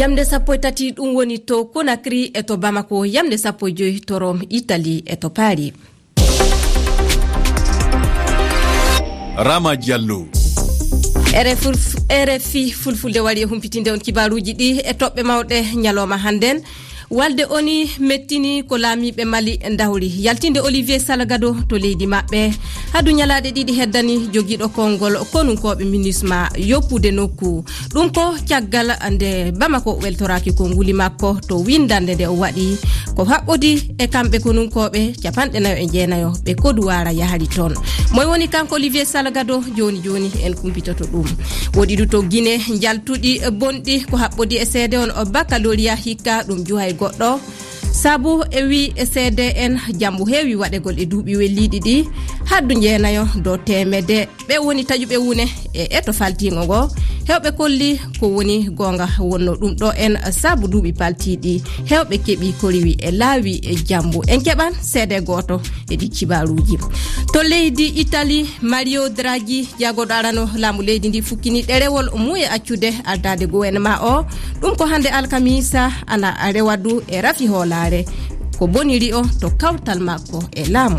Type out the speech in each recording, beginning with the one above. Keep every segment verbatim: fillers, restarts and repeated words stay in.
Yamde sappo e tati ɗum woni to Conakry e to Bamako, yamde sappo e joy to Rome, Italie e to Paris. Rama Diallo. R F I Fulfulde wari e humpitinde on kibaaruuji ɗi e toɓɓe mawɗe ñalooma hannden. Walde O N U mettini ko laamiiɓe Mali ndawri yaltinde Olivier Salgado to leydi maɓɓe. Hadu ñalaaɗe ɗiɗi heddani jogiiɗo konngol konunkooɓe MINUSMA yoppude nokku. Ɗum ko caggal nde Bamako weltoraaki konnguli makko to winndannde nde o waɗi ko haɓɓodi e kamɓe konunkooɓe capanɗe nayo e jeenayo ɓe Koduwaara yahri toon. Moy woni kanko Olivier Salgado? Jooni jooni en kumpitoto ɗum. Woɗi du to Gine njaltuɗi bonɗi ko haɓɓodi e seede on o baccalauréat hikka ɗum juhay goɗɗo. Sabu e wi e seede en jambu heewi waɗegol e duuɓi welliiɗi ɗi haddu jeenayo do teemede. Ɓe woni taƴuɓe wune e eto faltiingo ngo. Heewɓe kolli ko woni goonga wonno ɗum ɗo en sabu duuɓi paltiiɗi. Heewɓe keɓi ko riwi e laawi e jambu. En keɓan seede gooto e ɗi kibaaruuji. To leydi Italie, Mario Draghi, jagorɗo arano laamu leydi ndi, fukkini ɗerewol mum e accude ardaade gouvernement o. Ɗum ko hannde alkamisa ana rewa du e rafi hoolaare. Ko boniri o to kawtal makko e laamu.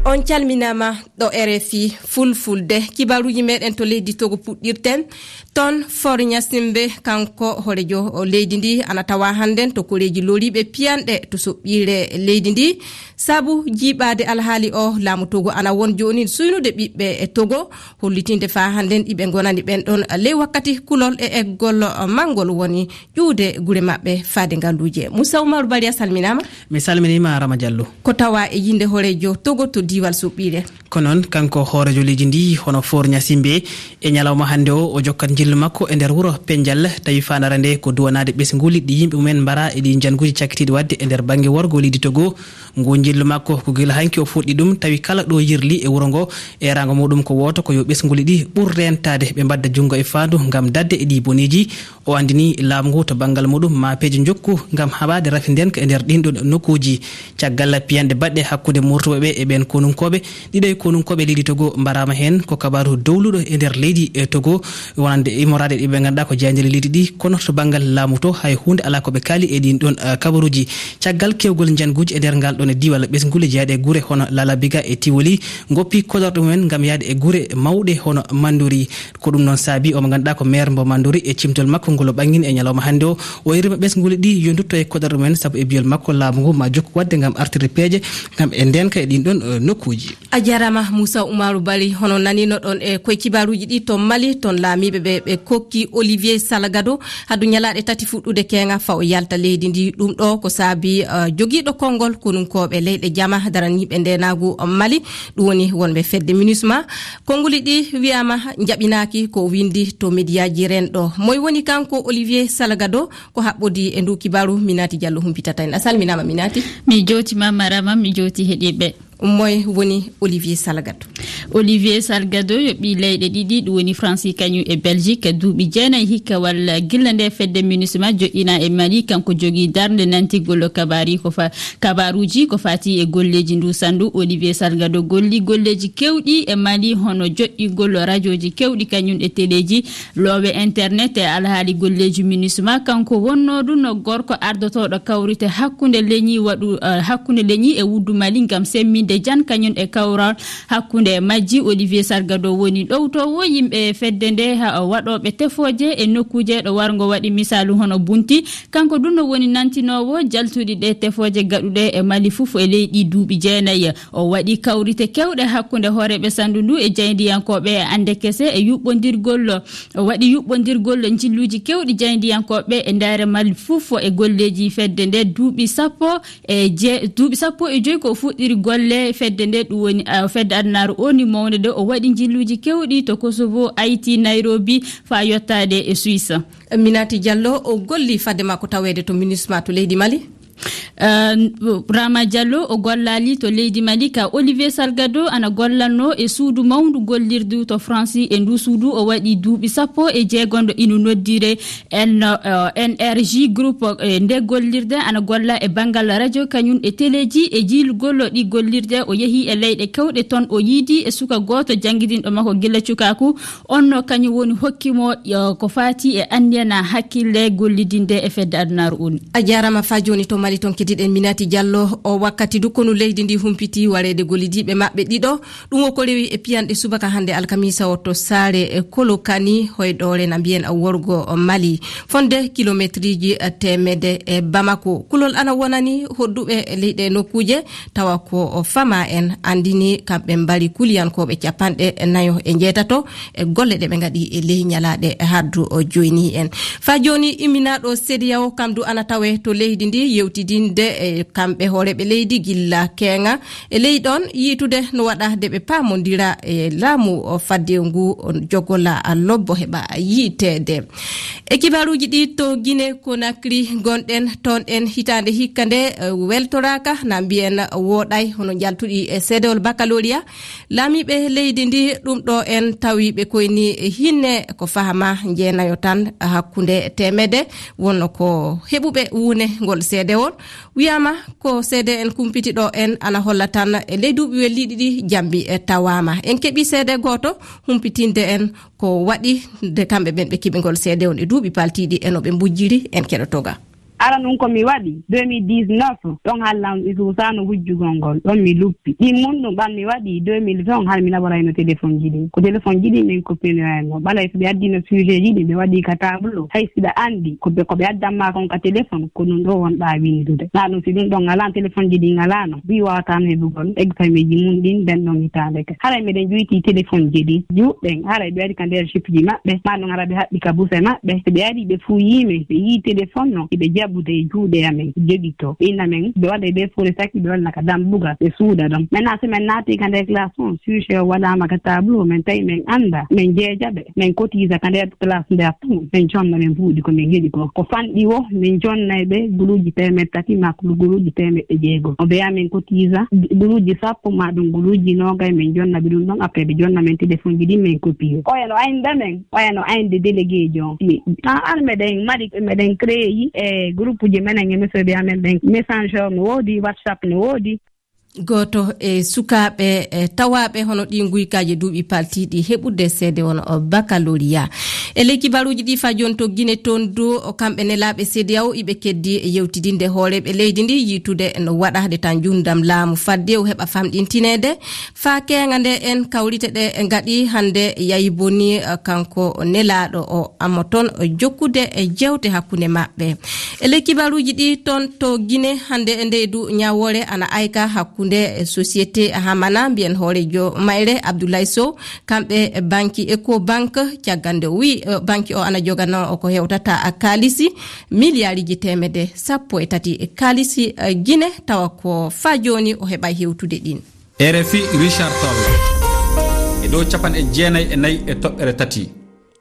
On calminaama ɗo R F I Fulfulde. Kibaaruuji meɗen to leydi Togo puɗɗirten. Toon Faure Gnassingbé, kanko hooreejo leydi ndi, ana tawa hannden to koreeji loriiɓe piyanɗe to soɓɓiire leydi ndi. Sabu jiiɓaade alhaali o, laamu Togo ana won jooni suynude ɓiɓɓe e Togo, hollitinde faa hannden iɓe ngonani ɓen ɗon ley wakkati kulol e eggol manngol woni ƴuwde gure maɓɓe faade ngalluuje. Moussa Oumar Bari, a salminaama. Mi salminiima, Rama Diallo. Ko tawa e yinde hooreejo Togo to diiwal soɓɓiire. Ko noon, kanko hooreejo leydi ndi, hono Faure Gnassingbé, e ñalawma hannde o, o jokkat njillu makko e nder wuro Penjal, tawi faandaare nde ko duwanaade ɓesnguuli ɗi yimɓe mumen mbara e ɗi njannguuji cakkitiiɗi waɗde e nder bannge worgo leydi Togo. Ngu njillu makko ko gila hanki o fuɗɗi ɗum, tawi kala ɗo yirli e wuro ngo, eeraango muɗum ko wooto, ko yo ɓesnguuli ɗi ɓur reentaade, ɓe mbadda junngo e faandu ngam daɗde e ɗi boneeji. O anndini laamu ngu to banngal muɗum ma peeje njokku ngam haɓaade rafi ndenka e nder ɗin ɗon nokkuuji. Caggal piyanɗe baɗɗe hakkunde Murtuɓe ɓe e ɓeen konunkooɓe, ɗiɗo e konunkooɓe leydi Togo mbaraama heen. Ko kabaaru dowluɗo e nder leydi, e, Togo, wonande immoraade ɗi ɓe ngannduɗaa ko jeyande leydi ɗi, kono to banngal laamu to hay huunde alaa ko ɓe kaali e ɗin ɗon, eh, kabaruuji. Caggal kewgol njannguuji e nder ngal ɗon e diiwal ɓesnguuli jeyaaɗe e gure hono Lalabiga e Tiwoli, ngoppi koɗorɗe mumen ngam yahde e gure mawɗe hono Mandori. Ko ɗum noon saabi omo ngannduɗaa ko maire mbo Mandori e cimtol makko ngol o ɓangini e ñalawma hannde o, o irima ɓesnguuli ɗi yo ndutto e koɗorɗe mumen, sabu e biyol makko laamu ngu ma jokku waɗde ngam artirde peeje ngam e ndenka e ɗin ɗon, eh, nokkuuji. A jarama Moussa Oumarou Bari, hono nanino ɗon e koye kibaruuji ɗi to Mali, ton laamiiɓe ɓe, ɓe kokki Olivier Salgado hadu ñalaaɗe tati fuɗɗude keeŋa fa o yalta leydi ndi. Ɗum ɗo ko saabi, eh, jogiiɗo konngol konunkooɓe leyɗe jama daraniiɓe ndeenaagu Mali, ɗum woni wonɓe fedde MINUSMA. Konnguli ɗi wiyaama njaɓinaaki ko windi to mediyaaji renɗo. Moy woni kanko Olivier Salgado? Ko haɓɓodi e ndu kibaru, Minati Diallo humpitata en. A salminaama, Minati. Mi jootiima, Marama, mi jooti heɗiiɓe. Moy woni Olivier Salgado? Olivier Salgado yo ɓii leyɗe ɗiɗi, ɗum woni Fransi kañum e Belgique, duuɓi jeenayi hikka walla gilla nde fedde MINUSMA joɗɗina e Mali, kanko jogii darnde nantigol kabaari ko fa-, kabaruuji ko fati e golleeji ndu sandu. Olivier Salgado golli golleeji kewɗi e Mali, hono joɗɗingol rajooji kewɗi kañum e teleeji, loowe internet e alhaali golleeji MINUSMA. Kanko wonnoo ɗum no gorko ardotooɗo kawrite hakkunde leñi waɗu, eh, hakkunde leñi e wuddu Mali ngam semminde jan kañum e kawral hakkunde majji. Olivier Salgado woni ɗowtoowo yimɓe fedde nde, ha, waɗooɓe tefooje e nokkuuje ɗo warngo waɗi misaalu hono Bunti. Kanko ɗum no woni nantinoowo jaltuɗi ɗe tefooje gaɗuɗe e Mali fof e leydi duuɓi jeenayi. O waɗi kawrite kewɗe hakkunde hooreeɓe sandu ndu e jaayndiyankooɓe e annde kese e yuɓɓondirgol. O waɗi yuɓɓondirgol njilluuji kewɗi jaayndiyankooɓe e ndaare Mali fof e golleeji fedde nde duuɓi sappo e je-, duuɓi sappo e joy ko o fuɗɗiri golle fedde nde, ɗum woni, ah, fedde adunaaru O N U mawnde nde. O waɗi njilluuji kewɗi to Kosovo, Haïti, Nairobi, faa yottaade e Suisse. Minati Diallo, o golli fadde makko taweede to MINUSMA to leydi Mali? Rama Diallo o gollaali to leydi Mali ka. Olivier Salgado ana gollanno e suudu mawndu gollirdu to Faransi. E ndu suudu o waɗi duuɓi sappo e jeegonɗo ino noddire N R G Group. E nde gollirde ana golla e banngal radio kañum e teleeji e jiilugol ɗi gollirde. O yehi e leyɗe kewɗe toon, o yiidi e suka gooto janngidinɗo makko gila cukaaku. Onno kañum woni hokki mo ko faati e anniyana hakkille gollidinde e fedde adunaaru un. A jaarama. Fa jooni to Mali toon keddiɗen Minati Diallo. O wakkati du konu leydi ndi humpiti wareede gollidiiɓe maɓɓe ɗiɗo. Ɗum o ko rewi e piyanɗe subaka hannde alkamisa o to saare e Kolokani hoyɗoore na mbiyen worgo Mali fonde kilometriji teemede e Bamako. Kulol ana wonani hodduɓe leyɗe nokkuuje tawa ko o fama en anndini kamɓe mbari kuliyankooɓe capanɗe nayo e njeetato e golle ɗe ɓe ngaɗi e ley ñalaaɗe haddu o joyni en. Fa jooni imminaaɗo CEDEAO kam du ana tawe to leydi ndi yewtidinde e kamɓe hooreɓe leydi gilla keeŋa e ley ɗon yiitude no waɗa de ɓe paamondira e laamu o fadde ngu jogola lobbo heɓa yiiteede. E kibaruuji ɗi to Guinée Conakry gonɗen toon ɗen hitaande hikka nde weltoraaka na mbiyen wooɗay hono njaltuɗi e seedewol baccalauréat. Laamiiɓe leydi ndi ɗum ɗo en tawi ɓe koyni hinne ko fahama jeenayo tan hakkunde teemede wonno ko heɓuɓe wuune ngol seedewol. Wiyaama ko seede en kumpiti ɗo en ana holla tan e ley duuɓi welliiɗi ɗi jambi e tawaama. En keɓi seede gooto humpitinde en ko waɗi nde kamɓe ɓen ɓe keɓi ngol seede on e duuɓi paltiiɗi e no ɓe mbujjiri en keɗotoga. Ara ɗum ko mi waɗi deux mille dix-neuf, ɗon hallan mi suusaano wujjugol ngol, ɗon mi luppi. Ɗin mun ɗum ɓan mi waɗi deux mille vingt, hara mi naɓorayno telefonji ɗin. Ko telefonji ɗin min koppinoyayno. Ɓalay so ɓe addino sujetji ɗin, ɓe waɗi ka tableau. Hay si ɓe anndi ko ɓe, ko ɓe addan maa kon ka telefon, ko ɗum ɗo wonɗaa winndude. Naa ɗum si ɗum ɗon ngalaano, telefonji ɗin ngalaano, mbi waawataano heɓugol examenji mun ɗin nden ɗon hitaande ka. Haray meɗen ƴuyti telefonji ɗin, juuɗɗen, haray ɓe waɗi ka nder jipji maɓɓe, maa ɗum hara ɓe haɓɓi ka buse maɓɓe. Si ɓe ari ɓe fuu yii men, ɓe yii telefon non, hiɓe jaɓude e juuɗe amen, jogi to. Ɓe inna men, ɓe waɗa ɓe fuu resaki, ɓe walla ka dambugal, ɓe suuda ɗon. Maintenant, si men naati ka nder classe on, sujet o waɗaama ka tableau, men tawi men annda, men jeeja ɓe, men kotiisa ka nder classe nder tun, men jonna ɓe mbuuɗi ko men heɓi ko. Ko fanɗi wo, men jonnay ɓe guluuji teemeɗɗe tati, maa guluuji teemeɗɗe jeego. O ɓeya men kotiisa guluuji sappo, maa ɗum guluuji noogay, men jonna ɓe ɗum ɗon, après ɓe jonna men telefonji ɗin, men kopiye. Oya no aynda men, oya no aynde délégué ji on. Mi, a, ar meɗen mari, meɗen créé yi e groupe ji menen e mesoɓe amen ɓen. Messenger no woodi, WhatsApp no woodi. Gooto e sukaaɓe, e, tawaaɓe hono ɗii nguykaaji duuɓi paltiiɗi heɓude seede won o baccalauréat. E ley kibaruuji ɗi fa jooni to Guinée toon du, o kamɓe nelaaɓe CEDEAO iɓe keddi yewtidinde hooreeɓe leydi ndi yiitude no waɗa de tan njuundam laamu fadde o heɓa famɗintineede. Faa keeŋa nde en kawrite ɗe ngaɗi hannde yayi boni, eh, kanko nelaaɗo o amma toon jokkude e jeewte hakkunde maɓɓe. E ley kibaruuji ɗi toon to Guinée hannde e ndeydu ñaawoore ana ayka hakkunde, eh, société Hamana mbiyen hooreejo mayre Abdoulaye Sow, kamɓe banki Ecobank caggal nde o wi, eh, banki o ana jogano ko hewtata kaalisi miliyaariji teemedde sappo e tati kaalisi, eh, Guinée tawa ko faa jooni o heɓa hewtude ɗin. R F I Richard Toll e dow capanɗe jeenayi e nayi e toɓɓere tati.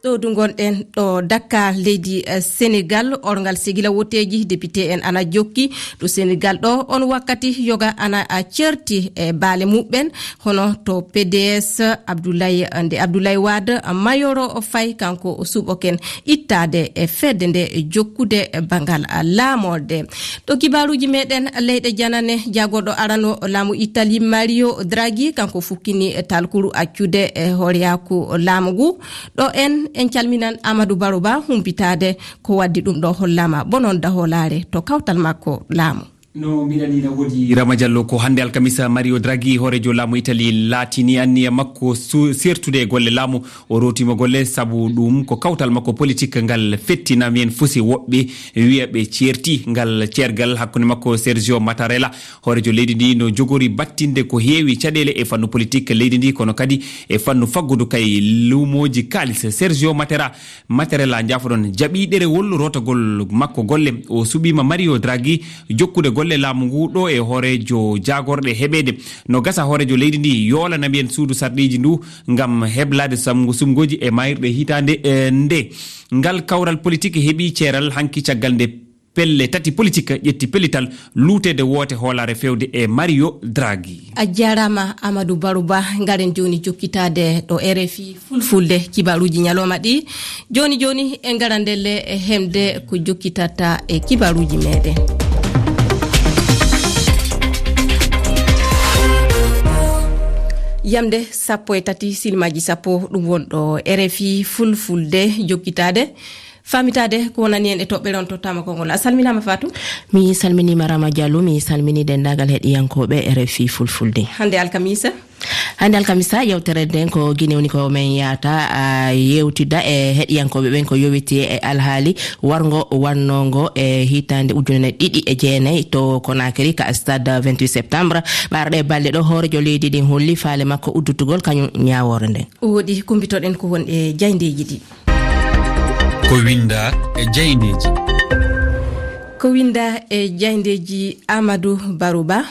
Ɗo du ngonɗen ɗo Dakar, leydi, eh, Senegal, orngal sigila woteeji, député en ana jokki ɗo Senegal ɗo. On wakkati yoga ana, ah, certi e baale muɓɓen, hono to P D S, Abdoulaye, nde Abdoulaye Wade, ah, mayoro o fay, kanko o suɓoken ittaade e fedde nde jokkude bangal, ah, laamorde. Ɗo kibaaruuji meɗen leyɗe janane, jagorɗo arano laamu Italie, Mario Draghi, kanko fukkini talkuru accude e hooreyaaku laamu ngu. Ɗo en, en calminan Amadou Baro Ba humpitaade ko waddi ɗum ɗo hollaama bonon daholaare to kawtal makko laamu. No mbiɗani na woodi Rama Diallo, ko hannde alkamisa Mario Draghi, hooreejo laamu Italie, laatini anniya makko su-, sertude e golle laamu. O rootiima golle sabu ɗum ko kawtal makko politik ngal fetti na mbiyen fusi woɓɓe wiya ɓe ceerti ngal ceergal hakkunde makko Sergio Mattarella, hooreejo leydi ndi no jogori battinde ko heewi caɗeele e fannu politik leydi ndi, kono kadi e fannu faggudu kay luumooji kaalis. Sergio Matera-, Mattarella, njaafoɗon, jaɓi ɗerewol rootagol makko golle. O suɓiima Mario Draghi jokkude golle laamu ngu ɗo e hooreejo jaagorɗe heɓeede. No gasa hooreejo leydi ndi yoolana mbiyen suudu sarɗiiji ndu ngam heblaade samngu sumngooji e maayirɗe hitaande, eh, nde. Ngal kawral politik heɓi ceeral hanki caggal nde pelle tati politik ƴetti pellital luuteede woote hoolaare feewde e Mario Draghi. A jaaraama, Amadou Baruba. Ngaren jooni jokkitaade ɗo R F I Fulfulde kibaaruuji ñalawma ɗi. Jooni jooni, en ngaran ndelle e heɓde ko jokkitata e kibaaruuji meeɗen. Yamde sappo e tati, silmaaji sappo, ɗum woni ɗo R F I Fulfulde jokkitaade. Faamitaade ko wonani en e toɓɓere, on tottaama konngol. A salminaama, Fatou. Mi salminiima, Rama Diallo. Mi salmini denndaangal heɗiyankooɓe R F I Fulfulde. Hannde alkamisa? Hannde alkamisa, yewtere nden ko Gine woni ko men yahata, a, yewtida e heɗiyankooɓe ɓen ko yowiti e alhaali warngo wannongo e hitaande ujunere ɗiɗi e jeenayi to Conakry ka stade vingt-huit septembre. Ɓaarɗe balɗe ɗo, hooreejo leydi ndin holli faale makko uddutugol kañum ñaawoore nden. O woɗi, kumbitoɗen ko won e jayndeeji ɗi. Ko winda e jayndeeji. Ko winda e jayndeeji, Amadou Baruba.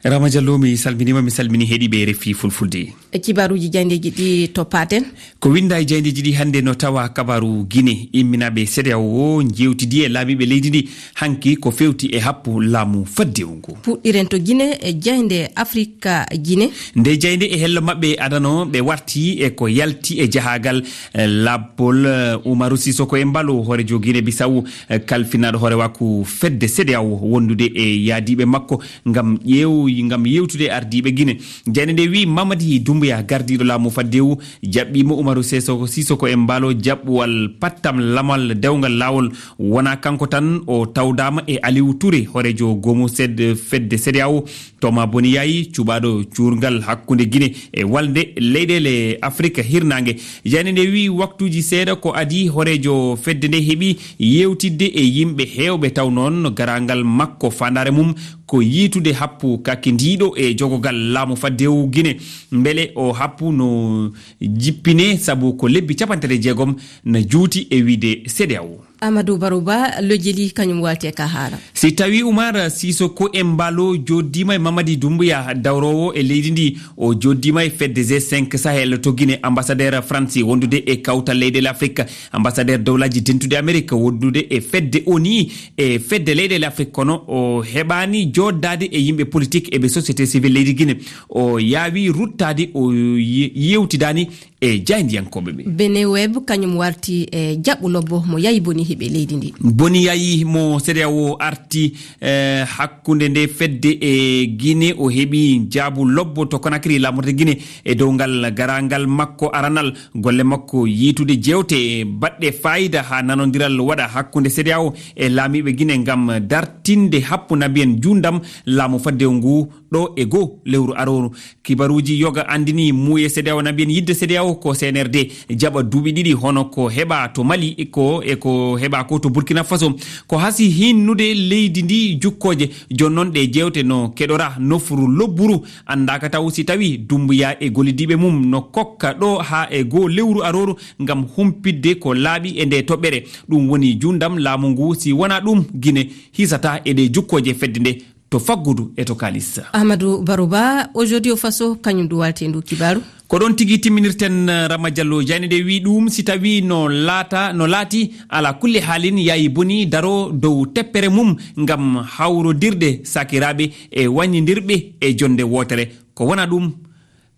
Rama Diallo, mi salminiima, mi salmini heɗiiɓe R F I Fulfulde. E kibaaruuji jayndeeji ɗi toppaten. Ko winda e jayndeeji ɗi hannde no tawa kabaaru Gine, imminaaɓe CEDEAO o njewtidi e laamiiɓe leydi ndi hanki ko fewti e happu laamu faddewu ngu. Puɗɗiren to Gine e jaynde Afrika Gine. Nde jaynde e hello maɓɓe adano ɓe warti e ko yalti e jahaagal, eh, lappol, eh, Umaru Sisoko Embalo, hooreejo Gine Bisawu, eh, kalfinaaɗo hooreewaku fedde CEDEAO wondude e yaadiiɓe makko ngam ƴeew-, ngam yewtude e ardiiɓe Gine. Jaynde nde wi'i Mamadi Doumbouya, gardiiɗo laamu faddewu, jaɓɓiima Umaru Sisoko, Sisoko Embalo jaɓɓuwal pattam lamal dewngal laawol. Wonaa kanko tan, o tawdaama e Aliou Touré, hooreejo goomu sed-, fedde CEDEAO, Thomas Boniyayi, cuɓaaɗo cuurngal hakkunde Gine e walnde leyɗeele Afirika Hirnaange. Jaynde nde wi'i waktuuji seeɗa ko adii, hooreejo fedde nde heɓi yewtidde e yimɓe heewɓe, taw noon garaangal makko faandaare mum ko yiitude happu kakindiiɗo e jogogal laamu faddewu Gine. Mbele o happu no jippine, sabu ko lebbi capanɗe tati e jeegom na juuti e wiyde CEDEAO. Amadou Baruba, lojeli kañum walti e ka haala. Si tawi Umar Sisoko Embalo jooɗdiima e Mamadi Doumbouya, dawroowo e leydi ndi, o jooɗdiima e fedde G cinq Sahel to Gine, ambassadeur Faransi wondude e kawtal leyɗeele Afirika, ambassadeur dowlaaji dentuɗi Amerik wondude e fedde ONI, e fedde leyɗeele Afirika, kono o heɓaani jooɗdaade e yimɓe politik e ɓe société civile leydi Gine. O yaawi ruttaade, o ye-, yewtidaani e jaayndiyankooɓe ɓe. Beneweb kañum warti e jaɓɓu lobbo mo yayi boni heɓe leydi ndi. Boni yayi mo CEDEAO arti, eh, hakkunde nde fedde e Gine, o heɓi jaabu lobbo to Conakry, laamorde Gine, e dow ngal garaangal makko aranal. Golle makko yiitude jeewte baɗɗe faayida haa nanondiral waɗa hakkunde CEDEAO e laamiiɓe Gine ngam dartinde happu nabiyen juundam laamu faddewu ngu ɗo e goo lewru arooru. Kibaruuji yoga anndini muuye CEDEAO nabiyen yidde CEDEAO ko C N R D jaɓa duuɓi ɗiɗi, hono ko heɓa to Mali ko e ko heɓa ko to Burkina Faso. Ko hasi hinnude leydi ndi jukkooje. Jooni noon ɗe jeewte no keɗora nofru lobburu. Anndaaka taw si tawi Dumbuya e gollidiiɓe mum no kokka ɗo haa e goo lewru arooru ngam humpitde ko laaɓi e nde toɓɓere. Ɗum woni juundam laamu ngu, si wonaa ɗum Gine hisata e ɗe jukkooje fedde nde to faggudu e to kaalis. Amadou Baruba, Audio Faso, kañum ɗum walti e ndu kibaaru. Ko ɗoon tigi timminirten, eh, Rama Diallo. Jayne nde wi ɗum, si tawi no laata, no laati, ala kulli haalin, yayi boni daro dow teppere mum ngam hawrodirde sakiraaɓe e waññindirɓe e jonde wootere. Ko wona ɗum,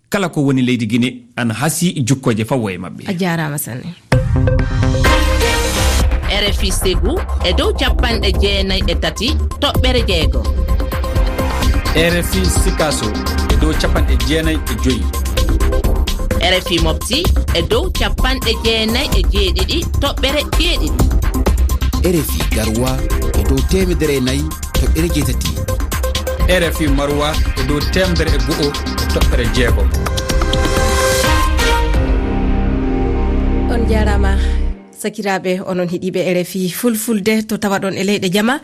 kala ko woni leydi Gine ana hasi jukkooje fawo e maɓɓe. A jaaraama sanne. R F I Ségou e dow capanɗe jeenayi e tati toɓɓere jeego. R F I Sikaso e dow capanɗe jeenayi e joyi. R F I Mopti e dow capanɗe jeenayi e jeeɗiɗi toɓɓere jeeɗiɗi. R F I Garoua e dow teemedere e nayi toɓɓere jeetati. R F I Maroua e dow teemedere e go'o e toɓɓere jeegom. On jaaraama, sakiraaɓe, onon heɗiiɓe R F I Fulfulde to tawaɗon e leyɗe jama.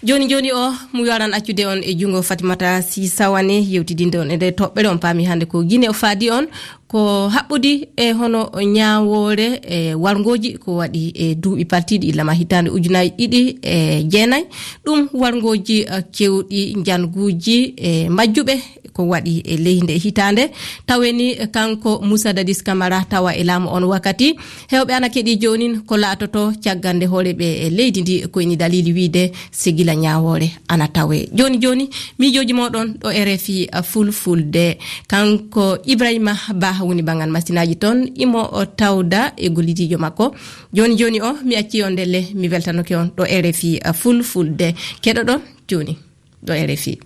Jooni jooni o, mi waawan accude on e junngo Fatimata Sy Sawane, yewtidinde on e nde toɓɓere. On paami hannde ko Gine o faadi on. ko haɓɓudi e hono ñaawoore e warngooji ko waɗi e duuɓi paltiiɗi illama hitaande ujunaaji ɗiɗi e jeenayi. Ɗum warngooji, eh, kewɗi njanguuji e majjuɓe ko waɗi e leydi nde hitaande. Taweni kanko Moussa Dadis Camara tawa e laamu on wakkati. Heewɓe ana keɗi joonin ko laatoto caggal nde hooreeɓe e leydi ndi ko ini daliili wiide si gila ñaawoore ana tawe. Jooni jooni, miijooji mooɗon ɗo R F I Fulfulde. Kanko Ibrahima Ba woni banngal masinaaji toon, imo o tawda e gollidiijo makko. Jooni jooni o, mi accii on ndelle, mi weltanoke on ɗo R F I Fulfulde. Keɗoɗon jooni ɗo R F I.